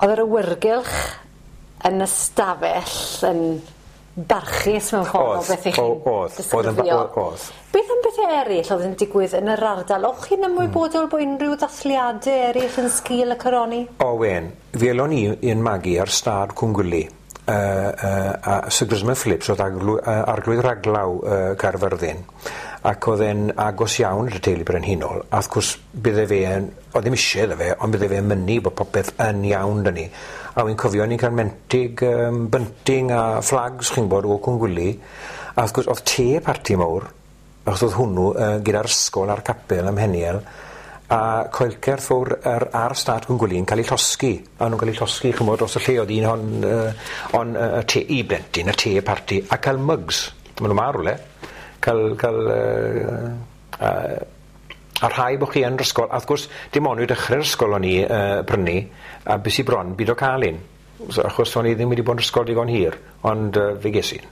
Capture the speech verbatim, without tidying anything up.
Oedd yr awyrgylch yn y stafell yn barchus mewn ffordd o beth 'ych chi'n Oedd, oedd, oedd, oedd. Beth am bethe eryll o'dd yn digwydd yn yr ardal? O'ch chi'n ymwybodol bo' unrhyw ddathliade eryll yn sgil y coroni? O wen, fi elon i i'n magu ar stad Cwngwli. Uh, uh, a Sir Grisman Phillips oedd arglwy, uh, arglwydd raglaw uh, Caerfyrddin ac oedd e'n agos iawn i'r teulu brenhinol a wrth gwrs bydde fe yn, oedd ddim eisiau iddo fe ond bydde fe'n mynnu bod popeth yn iawn 'da ni a wy'n cofio ni'n cael mentig um, bunting a flags chi'n gwbod o Cwngwli a wrth gwrs oedd te parti mawr achos oedd hwnnw uh, gyda'r ysgol a'r capel ym Mheniel a coelcerth fawr ar, ar stad Cwngwli yn cael ei llosgi a nhw'n cael ei llosgi ch'mod dros y lle oedd un hon uh, on uh, y te i blentyn y te parti a cael mugs ma' nhw ma rwle cael cael uh, uh, a rhai bod chi yn yr ysgol a wrth gwrs dim ond i dechrau'r ysgol o'n i uh, prynu a bys i bron byd o cael un so, achos o'n i ddim wedi bod yn ysgol digon hir ond uh, fe ges un.